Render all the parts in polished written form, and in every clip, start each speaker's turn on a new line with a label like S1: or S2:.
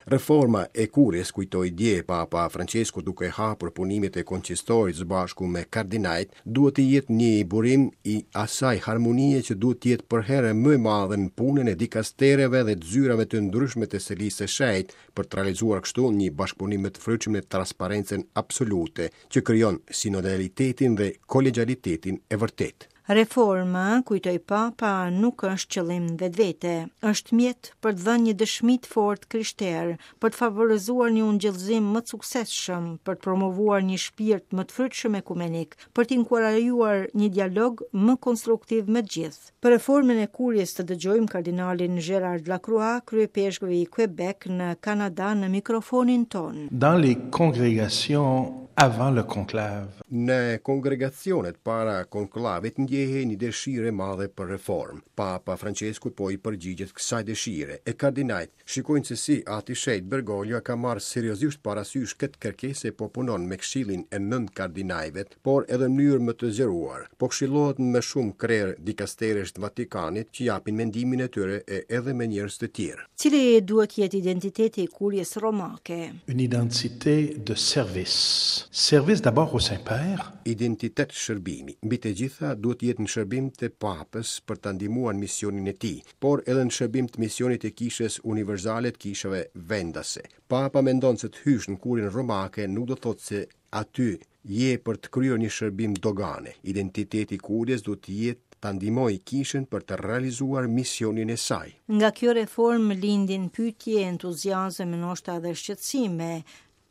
S1: Reforma e Kuries, kujtoi dje Papa Françesku duke hapur punimet e konsistorit së bashku me kardinajt, duhet të jetë një burim i asaj harmonie që duhet të jetë përherë më e madhe në punën e dikastereve dhe të zyrave të ndryshme të Selisë së Shenjtë, për të realizuar kështu një bashkëpunim më të frytshëm në transparencën absolute, që krijon sinodalitetin dhe kolegialitetin e vërtetë.
S2: Reforma, kujtoi Papa, nuk është qëllim në vetvete, është mjet për të dhënë një dëshmi të fortë krishterë, për të favorizuar një ungjillëzim më të suksesshëm, për të promovuar një shpirt më të frytshëm ekumenik, për të inkurajuar një dialog më konstruktiv me të gjithë. Për reformën e Kuries të dëgjojmë kardinalin Gérard Lacroix, kryeipeshkëv i Quebec në Kanada në mikrofonin tonë.
S3: Dans les congrégations avant le conclave.
S1: Në kongregacionet para konklavit ndjehej një dëshirë e madhe për reformë. Papa Françesku po i përgjigjet kësaj dëshire, e kardinajt shikojnë se si Ati i Shenjtë Bergoglio ka marrë seriozisht parasysh këtë kërkesë e po punon me këshillin e nëntë kardinajve, por edhe në mënyrë më të zgjeruar. Po këshillohet me shumë krerë dikasteresh të Vatikanit që japin mendimin e tyre e edhe me njerëz të tjerë.
S2: Cili duhet të jetë identiteti i Kuries romake?
S3: Une identité de service. Service d'abord au Saint-Père.
S1: Identitet shërbimi. Mbi të gjitha duhet të jetë në shërbim të Papës për ta ndihmuar misionin e tij, por edhe në shërbim të misionit të Kishës Universale të kishave vendase. Papa mendon se të hysh në Kurien romake nuk do të thotë se aty je për të kryer një shërbim dogane. Identiteti i Kuries duhet të jetë ta ndihmojë kishën për të realizuar misionin e saj.
S2: Nga kjo reformë lindin pyetje, entuziazëm e ndoshta edhe shqetësime.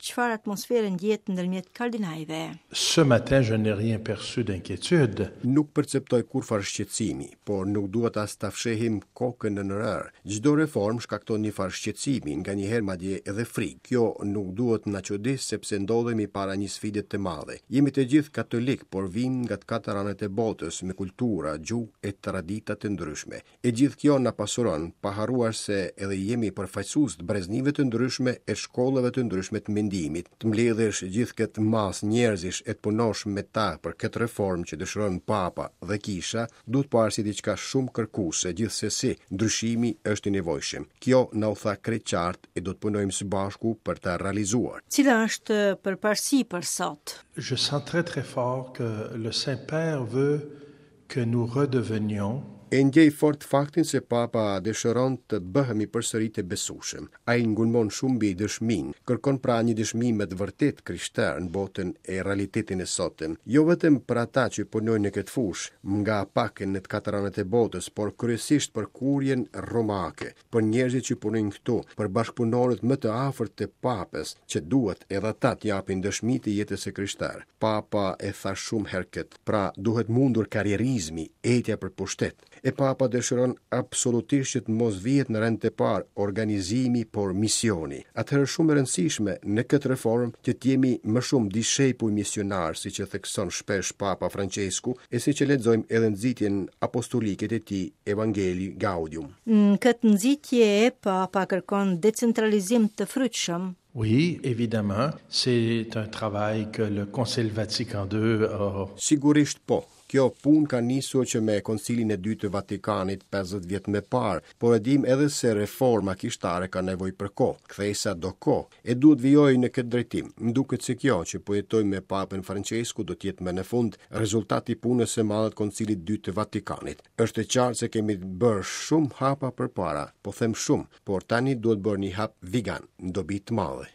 S2: Çfarë atmosfere ndjehet ndërmjet kardinajve?
S3: Ce matin je n'ai rien perçu d'inquiétude.
S1: Nuk perceptoj kurrfarë shqetësimi, por nuk duhet as ta fshehim kokën nën rërë. Çdo reformë shkakton një farë shqetësimi, nganjëherë madje edhe frikë. Kjo nuk duhet na çudisë sepse ndodhemi para një sfide të madhe. Jemi të gjithë katolikë, por vijmë nga të katër anët e botës, me kultura, gjuhë e tradita të ndryshme. E gjithë kjo na pasuron, pa harruar se edhe jemi përfaqësues të breznive të ndryshme e shkollave të ndryshme të mendimit. Të mbledhësh gjithë këtë masë njerëzish e të punosh me ta për këtë reformë që dëshiron Papa dhe Kisha, duhet parë si diçka shumë kërkuese, gjithsesi, ndryshimi është i nevojshëm. Kjo na u tha krejt qartë e do të punojmë së bashku për ta realizuar.
S2: Cila është përparësi për sot?
S3: Je sens très très fort que le Saint-Père veut que nous redevenions
S1: E ndjej fort faktin se Papa dëshiron të bëhemi përsëri të besueshëm. Ai ngulmon shumë mbi dëshminë, kërkon pra një dëshmi me të vërtetë krishterë në botën e realitetin e sotëm, jo vetëm për ata që punojnë në këtë fushë, nga pak në të katër anët e botës, por kryesisht për kurjen romake, për njerëzit që punojnë këtu, për bashkëpunorët më të afërt të Papës, që duhet edhe ata të japin dëshmi të jetës së krishterë. Papa e tha shumë herë këtë. Pra, duhet mundur karrierizmi, etja për pushtet. E Papa dëshiron absolutisht që të mos vihet në rend të parë organizimi, por misioni. Atëherë është shumë e rëndësishme në këtë reformë që të jemi më shumë dishepuj misionarë, siç e thekson shpesh Papa Françesku e siç e lexojmë edhe në nxitjen apostolike të tij Evangelii Gaudium.
S2: Në këtë nxitje, Papa kërkon decentralizim të frytshëm.
S3: Oui, évidemment, c'est un travail que le Concile Vatican II a
S1: Sigurisht po. Kjo punë ka nisur që me Koncilin e Dytë të Vatikanit 50 vjet më parë, por e dimë edhe se reforma kishtare ka nevojë për kohë, kthesa do kohë, e duhet vijojë në këtë drejtim. Më duket se kjo që po jetojmë me Papën Francesku do të jetë më në fund rezultat i punës së madhe të Koncilit të Dytë të Vatikanit. Është e qartë se kemi bërë shumë hapa përpara, po them shumë, por tani duhet bërë një hap vigan, në dobi të madhe.